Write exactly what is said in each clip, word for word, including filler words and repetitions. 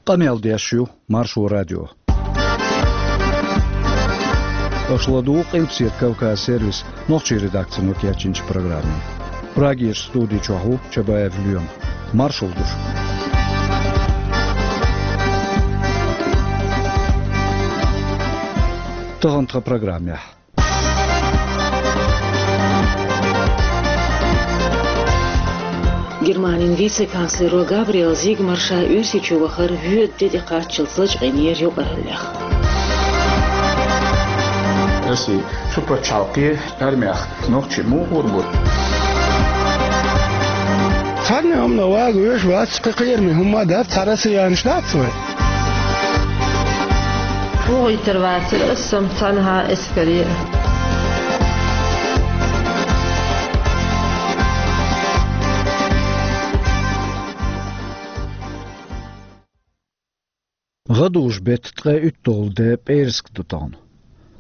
Къамел деш ю Маршо радио. Аша ладугӀу Къилбаседа Кавказ сервисан нохчийн редакцино кечйинчу программе. Прагерчу студи чохь ву Чабаев Лоьма. Маршалла ду шуьга. Тахана тхан программехь. Германин вице-канцлеро Габриэл Зигмар ша Оьрсийчу вахар воьду де тӀекхаччалц лачкъийнера юкъараллех. Оьрсийчу пачхьалкхе армех нохчий муха гӀур бу? Цхьанна хӀумано вага веш вац, кхин кхераме хӀума дац, цхьа россиянаш дац вай. ВогӀийтар вацара ас сом цхьанхьа эскаре. ГӀадужу-беттан ткъе уьтталгӀа де, пӀераска ду тахана.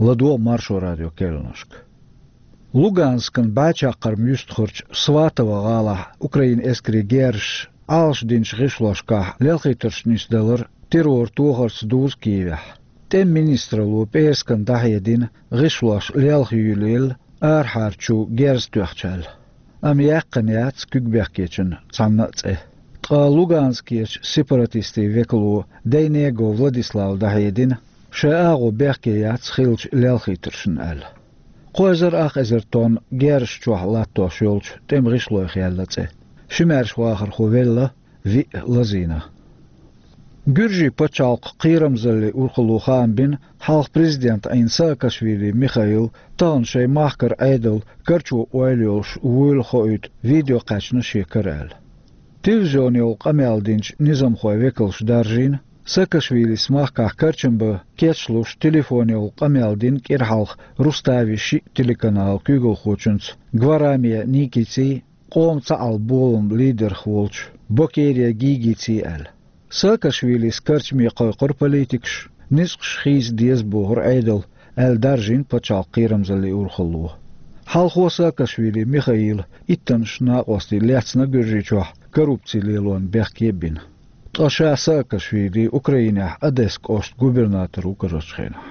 ЛадогӀа Маршо радион керланашка. Луганскан бӀаьчаккхарма юьстахарчу Сватово гӀалахь Украинан эскарийн герзаша Ӏалашдинчу гӀишлошкахь лелхийтарш нисдалар террор тохарца дузу Киевехь. ТӀеман министралло пӀераскана дӀахьедина, гӀишлош лелхаюьйлаелла арахьарчу герз тоьхча аьлла. Амма яьккхина яц куьг бехкечун цхьанна а цӀе. Ткъа Луганскерчу сепаратистийн векало Дейнего Владислава дӀахьедина, шайн агӀо бехке яц хиллачу лелхийтаршна аьлла. Кхо эзар ах эзар тонна герзаш чохь латтош йолчу тӀеман гӀишлойх яьлла цӀе. Ши маьрша вахархо велла, виъ лазийна. Гуьржийн пачхьалкхан кхерамзаллин урхалло хаам бина хьалха президент Ӏийна Саакашвили Михаил тахана шайн махкара Ӏедал карчо ойла йолуш вуйла хоуьйту видео кхаьчна шен кара аьлла. Телевизионехула къамел динчу низамхойн векалша даржийна, Саакашвилис махкахь карчам бан кечлуш телефонехула къамел дина кӀира хьалха Руставин шиъ телеканалан куьйгалхочуьнца Гвараме Никицин, къоман цхьаалла боламан лидерх волчу Бокере Гигицин аьлла. Саакашвилис карчаме кхойкхура политикаш, ницкъаш хийца деза бохура Ӏедал, аьлла даржийна пачхьалкхан кхерамзаллин урхалло. Хьалхо Саакашвили Михаила иттаннаш накъостий лецна Гуьржийчохь коррупци лелорна бехке а бина. Ткъа ша Саакашвили Украинехь Одессан кӀоштан губернатор ву карарчу хенахь.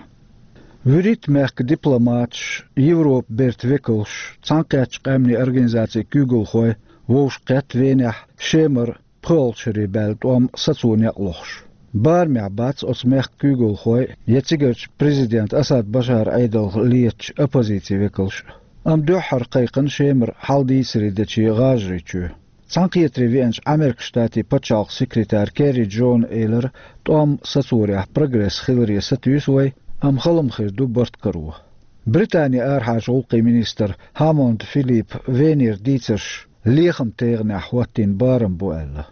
ВуьрхӀитта мехкан дипломаташ, Европан бертан векалш, Цхьаьнакхеттачу Къаьмнийн Организацин куьйгалхой вовшахкхетта Венехь Шемара пхоьалгӀачу шаре баьлла тӀом сацо некъ лохуш. Барамехь бац оцу мехкан куьйгалхой я цигарчу президент Асад Башаран Ӏедалх летачу оппозицин векалш а. Амма дуьххьара кхайкхина Шемара хьал-дийцаре дечу гӀажарийн чоь. Цхьаьнакхетаре веанчу Ӏамеркан Штатийн пачхьалкхан секретара Керри Джона элира, тӀом сацорехь прогресс хиларе сатуьйсу вай, амма хала ма хир ду барт каро. Британин арахьарчу гӀуллакхийн министр Хаммонд Филиппа Венера дийцарш лехаман тегӀанехь хӀоттийна барам бу аьлла.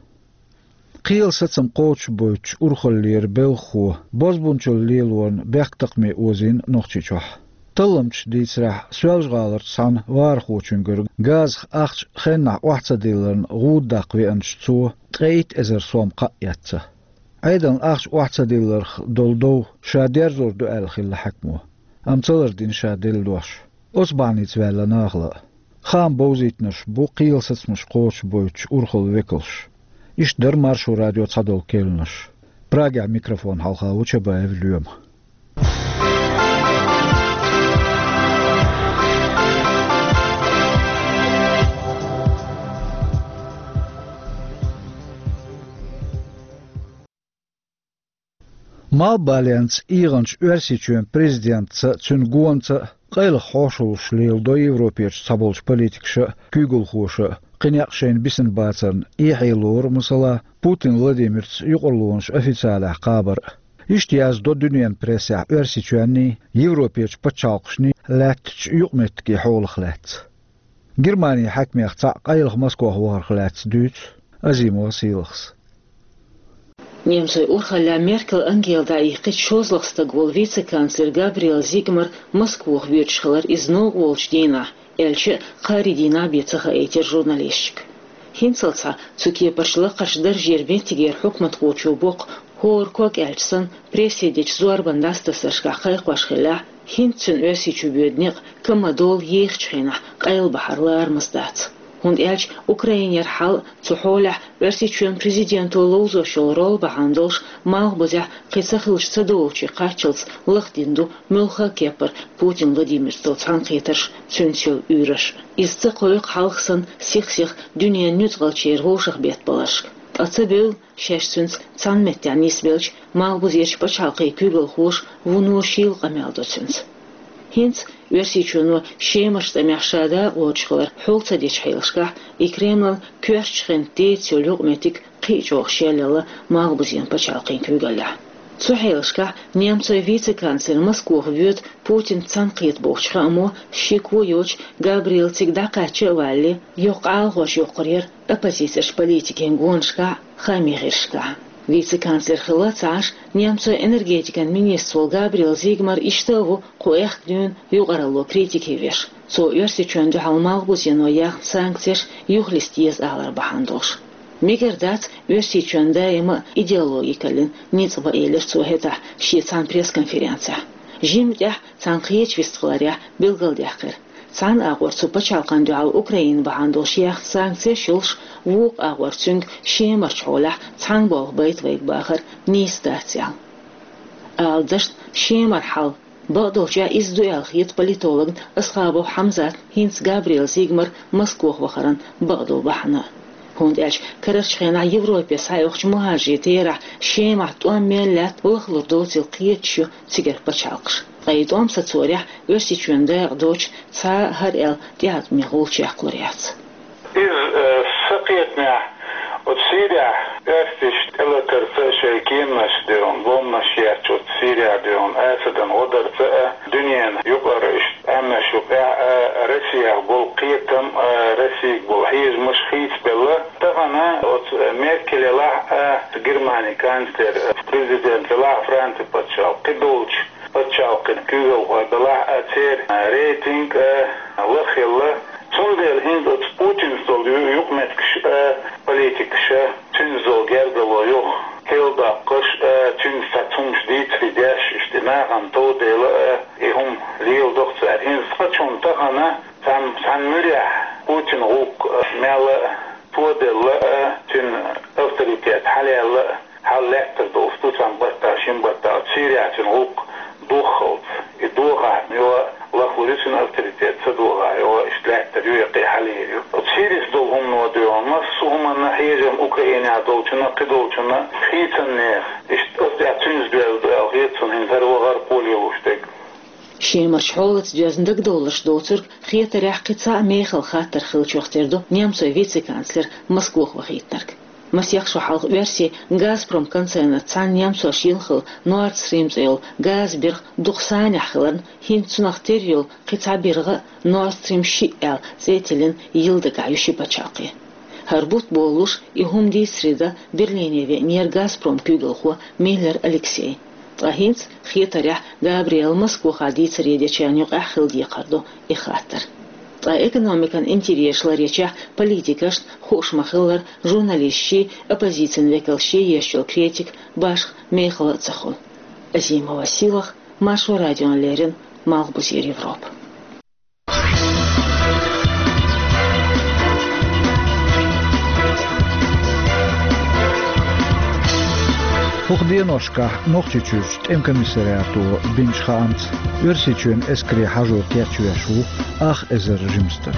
Кхелан сацам кхочушбойтучу урхаллера белхахо бозбунчалла лелорна бехктакхаме озийна Нохчийчохь. Талламчаша дийцарехь, Соьлжа-ГӀаларчу цхьана вахархочуьнгара газах ахча хеннахь охьа ца дилларна гӀуда даккха веанчу цо ткъе итт эзар сом кхаъ эцна. Ӏедална ахча охьа ца дилларх долу дов ша дерзор ду аьлла хилла хьаькамо. Амма ца лардина ша делла дош. Оцу бахьаница ваьлла нахала а. Хаам бовзийтинарш бу кхелан сацамаш кхочушбойтучу урхаллин векалш. Иштта дара Маршо радион цхьадолу керланаш. Прагехь микрофон хьалха ву Чабаев Лоьма. Малхбаленца эгӀначу Оьрсийчоьнан президентца а, цуьнан гонца а къайлаха хьошаллаш леладо Европерчу цхьаболчу политикаша а, куьйгалхоша а, кхин некъ шайна бисина бацарна эхье лору, масала, Путин Владимирца юкъарлонаш официалехь кхабар а. Иштта яздо дуьненан прессехь Оьрсийчоьнний, Европерчу пачхьалкхашний лаьттачу юкъаметтигийн хьолах лаьцна. Германин хьаькамех цхьаъ къайлаха Москох вахарх лаьцна дуьйцу Азимова Сийлахьас. Немцойн урхаллехь Меркел Ангела дӀаихкхича шозлагӀа стаг волу вице-канцлер Габриэл Зигмар Москвахь воьдуш хилар иза новкъа волчу дийнахь, аьлча а, кхаарин дийнахь бен ца хаийтира журналисташка. ХӀинццалц а цу кепарчу лакхарчу даржера меттигера хьукматхочо боккха хӀора ког аьлча санна, прессе дечу зорбан дӀасатасаршкахь кхайкхош хиллехь, хӀинца цуьнан Оьрсийчу боьду некъ ка ма долу ехачу хенахь къайлабахьар ларамаза дац. ХӀунда аьлча Украинера хьал, цу хьолехь Оьрсийчоьнан президенто ловзош йолу роль бахьана долуш, малхбузехь кхин ца хилча ца долучу кхаччалц лахдина ду муьлхха а кеппара Путин Владимирца долу цхьаьнакхетарш, цуьнца йолу уьйраш. Иза ца кхойкху хьалха санна сих-сиха дуьненан нуьцкъалчеран вовшахбеттабаларшка. Ткъа ца бевлла, шаьш цуьнца цхьана меттехь нисбелча, малхбузерчу пачхьалкхийн куьйгалхоша вуно шийла къамел до цуьнца. ХӀинца Оьрсийчоьно Шемарчу тӀамехь ша дакъа лоцуш хилар хьул ца дечу хьелашкахь, и Кремлан коьртачу хенахь деца йолу юкъаметтиг кхин а чӀогӀа шелъелла малхбузен пачхьалкхийн куьйгаллехь. Цу хьелашкахь немцойн вице-канцлер Москвахь воьду Путинца цхьаьнакхета бохучу хаамо, шеко йоцуш Габриэл цига дӀакхаьчча а валале, йоккха Ӏалахош йоккхур яра оппозицерчу политикийн гонашкахь а, хаамийн гӀирсашкахь а. Вице-канцлер хилла ца Ӏаш, немцойн энергетикан министр волу Габриэл Зигмар иштта а ву кху аьхка дуьйна юкъаралло критике веш. Цо Оьрсийчоьнна дуьхьал малхбузено яьхна санкцеш юхалиста еза алар бахьана долуш. Мегар дац, Оьрсийчоьнан даима а идеологикаллин ницкъ бан, элира цо хӀетахь шен цхьана пресс-конференцехь. Жимма тӀехь цхьана кхечу вистхиларехь билгалдаьккхира. Цхьана агӀор цу пачхьалкхана дуьхьал Украина бахьана долуш яьхна санкцеш йолуш, вукху агӀор цуьнга Шемарчу хьолехь цхьана болх байта вайга бахар нийса дац аьлла. Ала дашна, Шемара хьал, бакъдолчехь иза ду аьлла хета политологна Асхабов Хьамзатна хӀинца Габриэл Зигмар Москвахь вахаран бакъдолу бахьана. ХӀунда аьлча карарчу хенахь Европе схьаоьхучу мухӀажирийн терахь Шемахь тӀом мел лаьтта лахлур доцийла кхеташ ю цигара пачхьалкхаш. Ткъа и тӀом сацорехь, Оьрсийчоьнан дакъа доцуш цхьа а хӀара аьлла тӀеӀаткъаме гӀулч яккхалур яц. Иза, э, сан кхетамехь, оцу Сирехь оьрсаша тӀелатарца а, шайн кеманаш дуьйна, бомбанаш етташ оцу Сирехь дуьйна Асадан гӀо дарца а, дуьненан юкъара иштта Ӏемаш юкъехь а, Россехь болу кхетам а, Россига болу хьежамаш хийцабелла. Тахана оцу Меркель елахь а, Германин канцлер, президент елахь а, Францин пачхьалкх, кхидолчу пачхьалкхийн куьйгалхой белахь а, церан рейтинг а лахъелла. Цундела хӀинца оцу Путинца долу ю-, юкъаметтигаш а, политикаш а, цуьнца долу гергарло юха кхел доккхуш а, цуьнца цхьацца хӀумнаш дийцаре деш, иштта нахана тов дала а, и хӀума леладо-кх цара. ХӀинца цкъачунна тахана цхьана, цхьана муьрехь Путинан гӀуллакх мел а тоделла а, цуьнан авторитет хьалаелла а, хьал лаьттар долуш ду цхьана баттахь, шина баттахь, Сирехь цуьнан гӀуллакх дохалц. И дохахь йо, лахлур ю цуьнан авторитет, ца дохахь йо, иштта лаьттар ю, я кхин хьал ю. Оцу Сирис долу хӀумано дуьйна массо а хӀуманна хьежам Украинехь долчунна, кхидолчунна хийцаннех, иштта оцу тӀехь цуьнца доьзна ду аьлла хета суна хӀинца хӀара вахар кхолелуш дерг. Шемарчу хьолаца доьзна дагадовларш доцург хетарехь кхин цхьа а мехала хаттар хиллачух тера ду немцойн вице-канцлер Москвахь вахийтинарг. Масех шо хьалха оьрсийн «Газпром» концернаца цхьаьна немцоша йина хилла Nord Stream цӀе йолу газан биргӀа дукха санехь хиларна, хӀинца цунах тера йолу кхин цхьа биргӀа а, Nord Stream шиъ аьлла цӀе тиллина, йила дагахь ю ши пачхьалкх. ХӀара бутт болалуш, и хӀума дийцаре дан Берлине веанера «Газпром» куьйгалхо Миллер Алексей. Ткъа хӀинца, хетарехь, Габриэла Москвахь дийцаре дечарна юкъахь хила декхар ду и хаттар. Ткъа экономикан интересаш ларъечохь политикашна, хууш ма-хиллара, журналисташций, оппозицин векалшций еш йолу критика башха мехала а ца хуьлу. Азимова Силах, Маршо радиона леррина, Малхбузера Европа. ХӀокху деношкахь Нохчийчуьрчу тӀеман комиссариато бинчу хаамца, Оьрсийчоьнан эскаре хьажо кечвеш ву ах эзар жима стаг.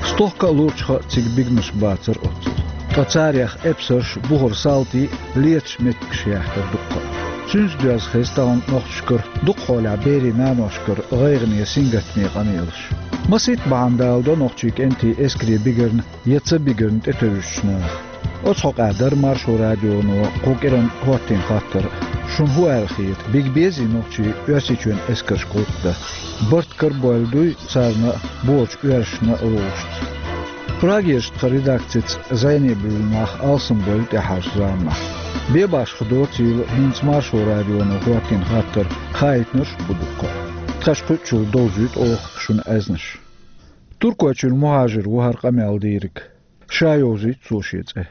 Стохка а лурчуха а цига бигнаш бацара оццул. Ткъа царех эпсарш, бухара салтий, леташ меттигаш яьхкира дуккха а. Цуьнца доьзна хеза тахана нохчашкара, дукха хьолехь берийн наношкара гӀайгӀане, сингаттаме къамелаш. Масийтта бахьана даладо нохчийн кӀентийн эскаре бигарна я ца бигарна тӀетевжачу наха. Оцу хьокъехь дара Маршо радионо кху кӀиранна хӀоттийна хаттар. Шуна хӀун аьлла хета, бига безий нохчий Оьрсийчоьнан эскаршка гӀуллакх дан? Барт карабойла дуй царна а, бохучу оьрсашна а вовшашца? Прагерчу тхан редакцица зӀене буьйлу нах алсамбевлла тӀаьхьарчу заманахь. Бен башха доцийла хӀинца Маршо радионо хӀоттийна хаттар, хаийтинарш а бу дуккха а. Тхаьш кхуьучул довзуьйту оха шуна аьзнаш. Туркойчуьра мухӀажир ву хӀара къамел дийриг. Ша йовзуьйту цо шен цӀе.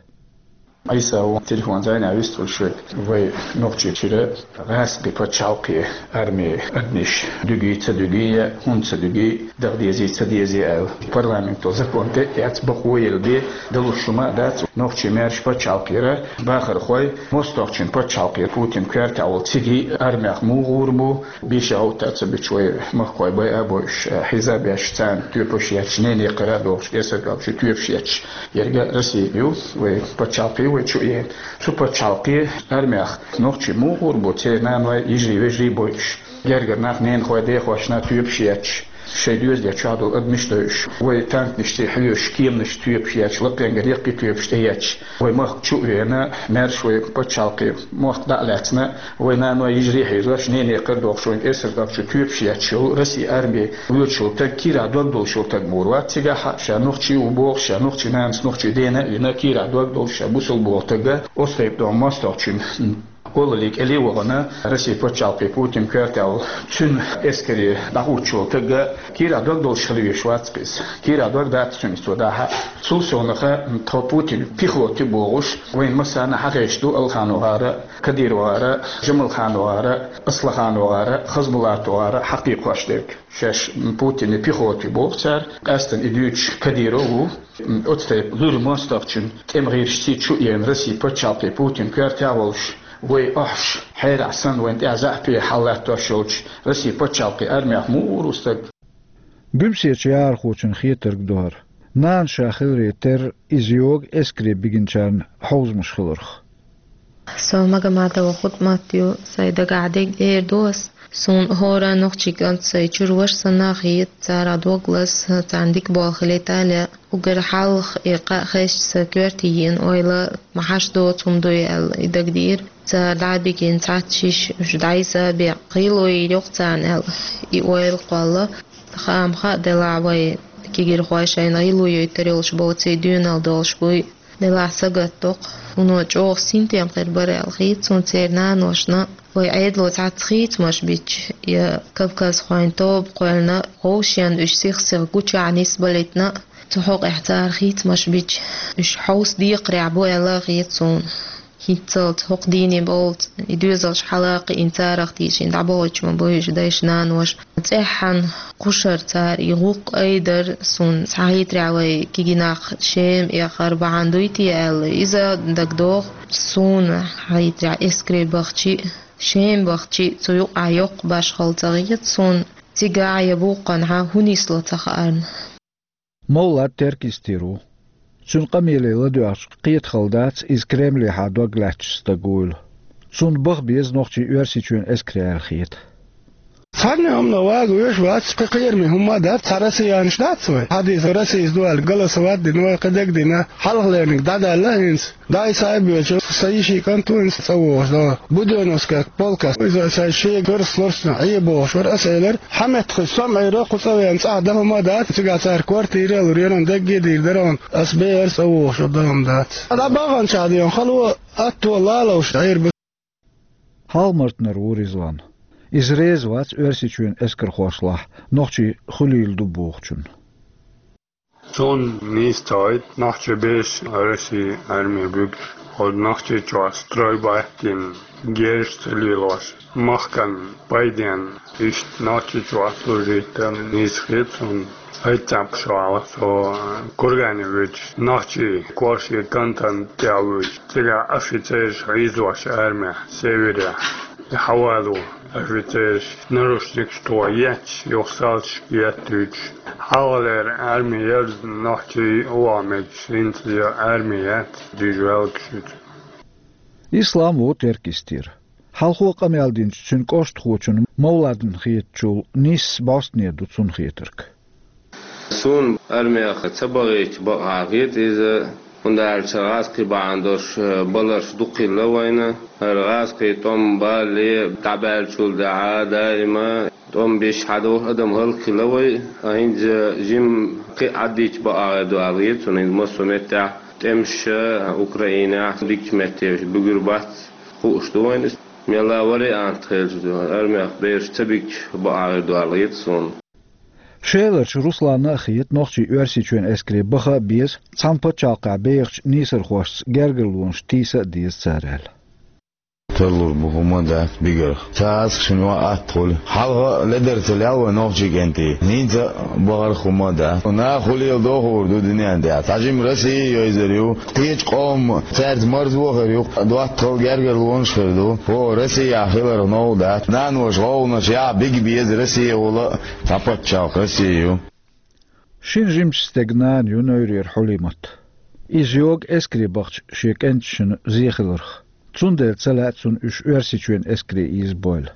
Ӏийса ву телефон зайна вистхуьлуш вай нохчий чира гӀаскхи пачхьалкхе армийн адамаш дуьгий, ца дуьгий, хӀунда ца дуьгий, даха дезий, ца дезий аьлла. Парламенто закон тӀе а эцна, бакъо елла бен далуш хӀума а дац. Нохчий маьрша пачхьалкхера бахархой мостагӀчун пачхьалкхе Путин коьртехь волу цига армех муха гӀур бу, бийша гӀовттар ца буьтуш вай махкахой байа а бойуш, хьийза а беш, царна тоьпаш етташ, нене кхара а дохуш, кӀесарг чу тоьпаш етташ. Ерга Россия ю, вай пачхьалкхе вай чу а еана. Цу пачхьалкхе армех нохчий муха гӀур бу, церан наной, йижарий, вежарий а бойуш. Гергара нах, ненахой, дехошна тоьпаш етташ, шайн доьзале чохь долу адамаш а дойуш. Вай танканашца хьоьжуш, кеманаш тоьпаш етташ, лакхенгара яккхий тоьпаш тӀеетташ. Вай махка чу а веана, маьрша вай пачхьалкхе мохк дӀа а лаьцна, вай наной, йижарий а хьийзош, нене кхара а дохуш, вайн кӀесарг чу тоьпаш етташ йолу Россин арме воьдуш волу стаг кийрахь дог долуш волу стаг муха вац цигахь а, ша нохчи ву бохуш, ша нохчийн нанас, нохчийн дена а вина, кийрахь дог долуш, ша бусалба волу стаг а, оцу тайпа долу мостагӀчун олаллин кӀеле а вахана, Россин пачхьалкхе Путин коьртехь волу цуьнан эскаре дӀахӀуттуш волу стаг а кийрахь дог долуш хила везаш вац-кх иза. Кийрахь дог дац цуьнан, цо дӀа а. Цул совнаха тхо Путин пехота бохуш, вайна массарна а хезаш ду АлхановгӀара, КадыровгӀара, ЖамалхановгӀара, АсламхановгӀара, ХасбулатовгӀара хьакхайкхош дерг. Шаьш Путин пехота боху цара, къаьсттина и дуьйцуш Кадыров ву. Оцу тайпа луьра мостагӀчун тӀеман гӀирсашца чу а еана, Россин пачхьалкхе Путин коьртехь а волуш, вай ахьаш хьерахь санна, вайна тӀехь заьӀапе хьалалаттош йолчу Россин пачхьалкхе армех муха гӀур ву стаг? Буьмсечу яхархочун хетарг ду хӀара. Нана ша хиларе терра, иза йогу эскаре бигинчарна хьовзамаш хиларх. Со Магомадова Хутмат ю, сайн дагахь дерг эр ду ас. Суна хӀора нохчийн кӀант, сайн чуьра ваша санна а хета, царах дог лаза, царна дика болх хилийта а лаьа. Уггар хьалха и кхаъ хезча, сан коьрте йиъна ойла ма хьаш доцу хӀума дуй аьлла, и дагадеара. Цара дӀа а бигина цхьацца шиша, уьш дӀасабаьккхина, гӀийла йийр ю-кх царна аьлла, и ойла кхолла. Хаам хаа делахь, вай кегийрхой шайна гӀийла йойтур йолуш боций, доьналла долуш буй. Делахь сагатдо-кх, вуно чӀогӀа синтем хир бара аьлла хета суна церан наношна. Вай Ӏедало цхьацца хийцамаш бича, я кавказхойн тоба кхоьллина, вовшен уьш сих-сиха гучахь нисбалийтина, цу хьокъехь цара хийцамаш бича, уьш хьовса декхарехь бу аьлла а хета суна. ХӀинццалц хӀокху дийне боллуц, и доьзалш хьала а кхиъна, царах тийшина дӀабахуьйтуш ма бу уьш дайша-наноша. ЦӀеххьана кхушара цара и гӀуллакх айдара, суна схьахетарехь, вай кегий нах Шема эхар бахьана дуй те аьлла, иза дагадогӀу. Суна схьахетарехь, эскаре бахчи а, Шема бахчи а, цу юкъахь йоккха башхалла ца хета суна, цигахь я буккъанхьа хӀун нисло ца хаарна. Мовлад теркйистийр ву. Цуьнан къамеле ладоьгӀча, кхетахалла дац иза Кремлехьа дог лаьтташ стаг вуйла. Цунна баха беза нохчий Оьрсийчоьнан эскаре аьлла хета. Цхьанне хӀумано вага веш вац, кхин кхераме хӀумма а дац, цхьа россиянаш дац вай. Хьадийса Российс ду аьлла, голосовать дина вай, кхин дагадина, хьалхалерниг дӀадаьлла хӀинца. ДӀа и сайбоьлча, сан йишин кӀант ву хӀинца цӀа вогӀуш, да, Будённовская полка. Иза шайн шен карс лорсна Ӏе бохуш вара, ас элира, хьан меттахуьйсу со-м Ӏийра, кху цӀа веана цӀахь дан хӀума а дац, цигахь цара квартира а лур, еран дагге а дийр дара хьуна, ас бен ара цӀа вогӀуш вара, дан хӀума дац. ДӀа баханчохь ден хало, атто лалуш Ӏийр бу. Хьалха-Мартанара ву Ризван. Иза реза вац Оьрсийчоьнан эскархошлахь нохчий хуьлийла ду бохучунна. Суна нийса ца хоуьйту нохчий бераш Россин арме буьгуш, оцу Нохчийчохь стройбат йина, герз ца лелош, махкан пайденна иштта Нохчийчохь служить дан нийса хета суна. ХӀетта цхьаъ шо хьалха со Кургане вуьтуш, нохчий корше кантон тӀе вуьтуш, цигахь офицераш хьийзош армехь, северехь. Хьавало офицераш наручникаш тхо етташ, юха салташка еттуьйтуш. Хьалхалера арми яра нохчий ваха мегаш, хӀинца я арми яц, дижа ваьлла шуьца. Ислам ву теркйистийр. Хьалхо къамел динчу цуьнан кӀоштахочун Мовладна хетачул нийса бӀостане ду цунна хетарг. Суна армех ца бахийча бакъахьа хета иза, хӀунда аьлча гӀазкхий бахьана долуш баларш дукха хилла вайна. ХӀара гӀазкхий тӀом балале дӀабаьллачул тӀаьхьа даима тӀом беш хьадолуш адам хӀаллакьхилла вай, а хӀинца жимма кхин а Ӏаддийча бакъахьа хир ду аьлла хета суна, хӀинца массо а меттехь тӀемаш Украинехь дикачу меттехь буьгур бац хууш ду вайна. Мелла вариант хилча, армех бераш ца бигча бакъахьа хир ду аьлла хета суна. Шеларчу Русланна а хета, нохчий Оьрсийчоьнан эскаре баха а беза, цхьана пачхьалкхехь бехачу нийсархошца гергарлонаш тийса а деза цара аьлла. Тарлур бу хӀума а дац бигарх. Цхьа аскашна юкъа атта хуьлу. Хьалха а ледар ца лел вай нохчий кӀентий. ХӀинца а бахарх хӀума а дац. Наха хӀу леладо хуур ду дуьнен тӀехь. Цхьа жима Россия йойзар ю. Кхечу къоман цаьрца марзо а хир ю. ДоттагӀалла гергарлонаш а хир ду. ХӀо, Россия хиларх новкъа дац. Наноша гӀовгӀанаш яхь бига беза Россия волу а, цхьа пачхьалкх Россия ю. Шина жимачу стеган нана ю Нойрера Хьулимат. Иза йогу эскаре бахча шен кӀенташна зе хиларх. Цундела ца лаьа цунна уьш Оьрсийчоьнан эскаре ийза бойла.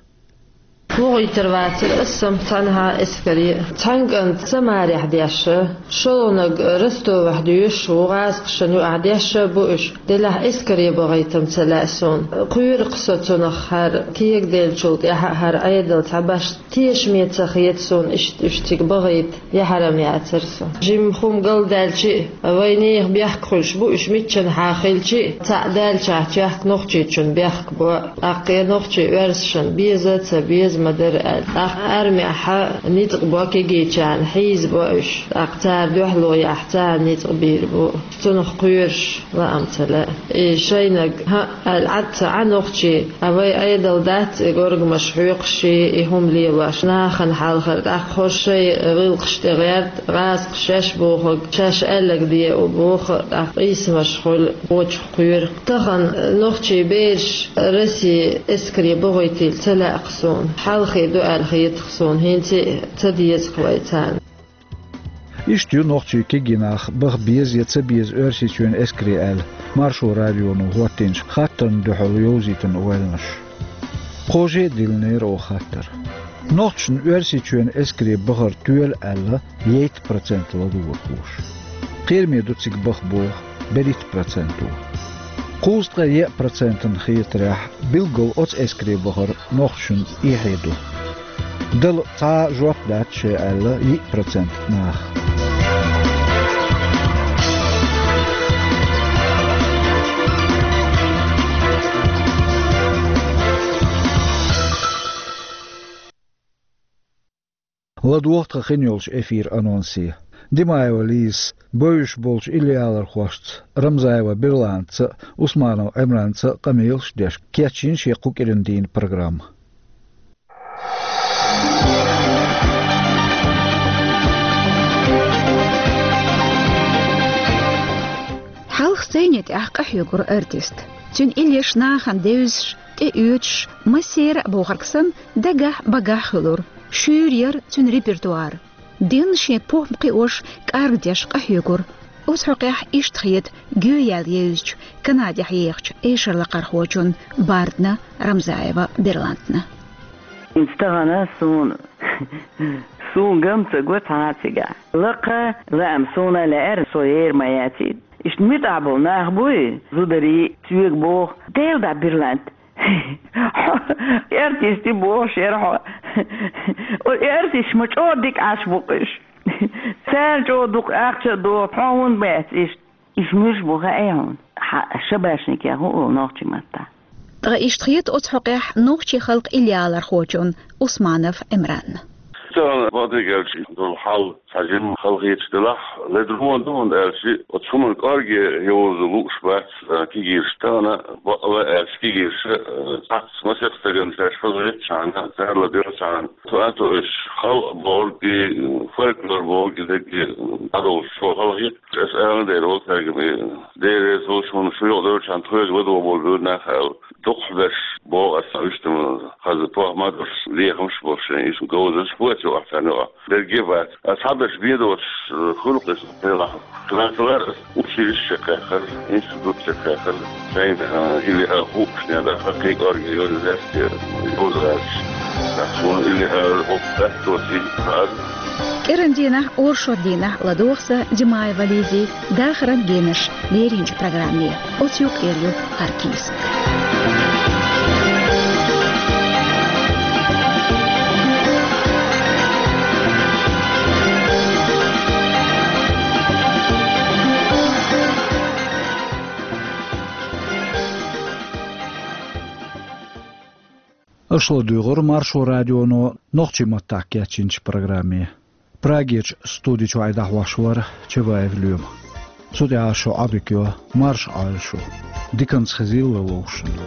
ВогӀуьйтур вацара аса-м цхьанхьа эскаре. Цхьана кӀанта Самарехь дешна, шолгӀаниг Ростовехь доьшуш ву, гӀазкхашна юкъахь дешна а бу уьш. Делахь эскаре бахийта-м ца лаьа суна. Кхоьру-кх со цунах хӀара, кегаделлачул тӀаьхьа а хӀара Ӏедал цхьа башха тешаме ца хета суна иштта уьш цига бахийта. Яхьарам яцара со. Жимма хӀума галдаьлча а, вайн нехан бехк хуьлуш бу, уьш миччанхьа хилча а, цхьаъ даьллачохь чехка нохчичунна бехк бо, тӀаккха я нохчий оьрсашна беза а, ца беза а ма дара аьлла. ТӀаккха армехь ницкъ бо кегийчарна, хьийзабо уьш. ТӀаккха цара дуьхьало яхь, цара ницкъ бийр бу. Цунах кхоьруш лаам ца лаьа. И шайниг, хӀаъ, аьлла, Ӏад ца Ӏа нохчий, а вай Ӏедал дац и горгамаш хьоькхуш, и хӀума лелош, нахана хьалхара, тӀаккха хӀо шайн гӀиллакхаш тӀе гӀерта, гӀазкхаша шаьш бохург, шаьш аьлларг де а боху, тӀаккха къийсамаш хуьлу, вочух кхоьру. Тахана нохчий бераш Росси эскаре бахийтийла ца лаьа-кх суна. Хьалхе ду аьлла хета-кх суна, хӀинца а ца деза-кх вай царна. Иштта ю нохчий кегий нах баха беза я ца беза Оьрсийчоьнан эскаре аьлла, Маршо радионо хӀоттийначу хаттарна дуьхьал йовзийтина ойланаш. Кхо же а диллинера оха хаттар. Нохчашна Оьрсийчоьнан эскаре бахар тоьла аьлла, ейтта процент ладугӀурхоша. Кхераме ду цига баха боху берхӀитта проценто. Кхузткъе еа процентана хетарехь, билггал оцу эскаре бахар нохчашна эхье ду. Дала цхьа а жоп дац шайн аьлла йиъ процент наха. ЛадогӀа тхан хин йолчу эфир анонсе. Димаева Лизас бевзаш болчу иллиалархошца, Рамзаева Берланца а, Усманов Ӏимранца а къамелаш деш, кечйина шен кху кӀиран дийнан программа. Хьалха сцене тӀехь къахьоьгура артист. Цуьнан иллеш нахана девзаш, тӀеоьцуш, массеран а бохург санна, дагахь-багахь хуьлура. Шуьйра яра цуьнан репертуар. Дийнна шен похӀма кхиош, кӀаргдеш къахьоьгура. Оцу хьокъехь иштта хета гоьяьлла евзачу, Канадехь ехачу эшарлакхархочунна Бардна Рамзаева Берлантна. ХӀинца тахана суна, суна ган ца го цхьа а цигахь. Лакха, лаам суна лаьара, со ер ма яций. Иштта муьтӀахь болу нах буй, зударий, соьга боху, Дела дӀа, Берлант. Артисти бохуш яра хьо. Артисташ ма чӀогӀа дика Ӏаш бу-кх уьш. Царна чӀогӀа дукха ахча а доху, хьо хӀунда бац иштта? Уьш муьлш бу хаьий хьуна? Хьан шабашникех хӀун олу нохчийн маттахь? Ткъа иштта хета оцу хьокъехь нохчийн халкъан иллиалархочунна Усманов Ӏимранна. Тахана, бакъдерг аьлча, долу хьал цхьа жимма халахеташ делахь, ледарло ду, хӀунда аьлча оцу хӀуманна кӀорге йовза лууш бац, а, кегийраш тахана, бакъ а аьлча, кегийраш, а, цхьацца масех стагана шаьш хазахетачхьана, царла доьлчхьана, цу а тоьуш, халкъ бохург и, фольклор бохург и дерриге дӀадовлуш, цо халахетта. Аса ала дера волу цаьрга, и Дела реза хуьлуш, хӀунда шу юкъадевлчхьана тхоьга ладогӀа болу буьйра нах аьлла. Дукхахберш боху аса, уьш тӀе ма хаза, похӀма а долуш, лехамаш а болуш, шайн иза говзанчаш а боцу юкъахь царна юкъахь. Дерриге а бац. Аса цхьаберш бен доцуш, э, хуьлу-кх иза, делахь. Хиларцалара аса училище чекхъяьккхира, институт чекхъяьккхира. Шайна, э, или а хуучу нехан дӀа хьакхий кӀорге йолу лаьцна йовза гӀерташ. Суна или а хӀокху даьтто цига хаьара. КӀиран дийнахь, оршот дийнахь ладогӀа сан, Димаева Лизин, дахаран генаш леринчу программе. Оцу юкъера ю хӀара кийсак. Аша ладуьйгӀура Маршо радионо нохчийн маттахь кечйинчу программе. Прагерчу студи чуьра дӀахьош вара Чабаев Лоьма. Цу тӀехь шун Ӏодика йо, марша Ӏойла шу. Диканца хезийла вовшашна.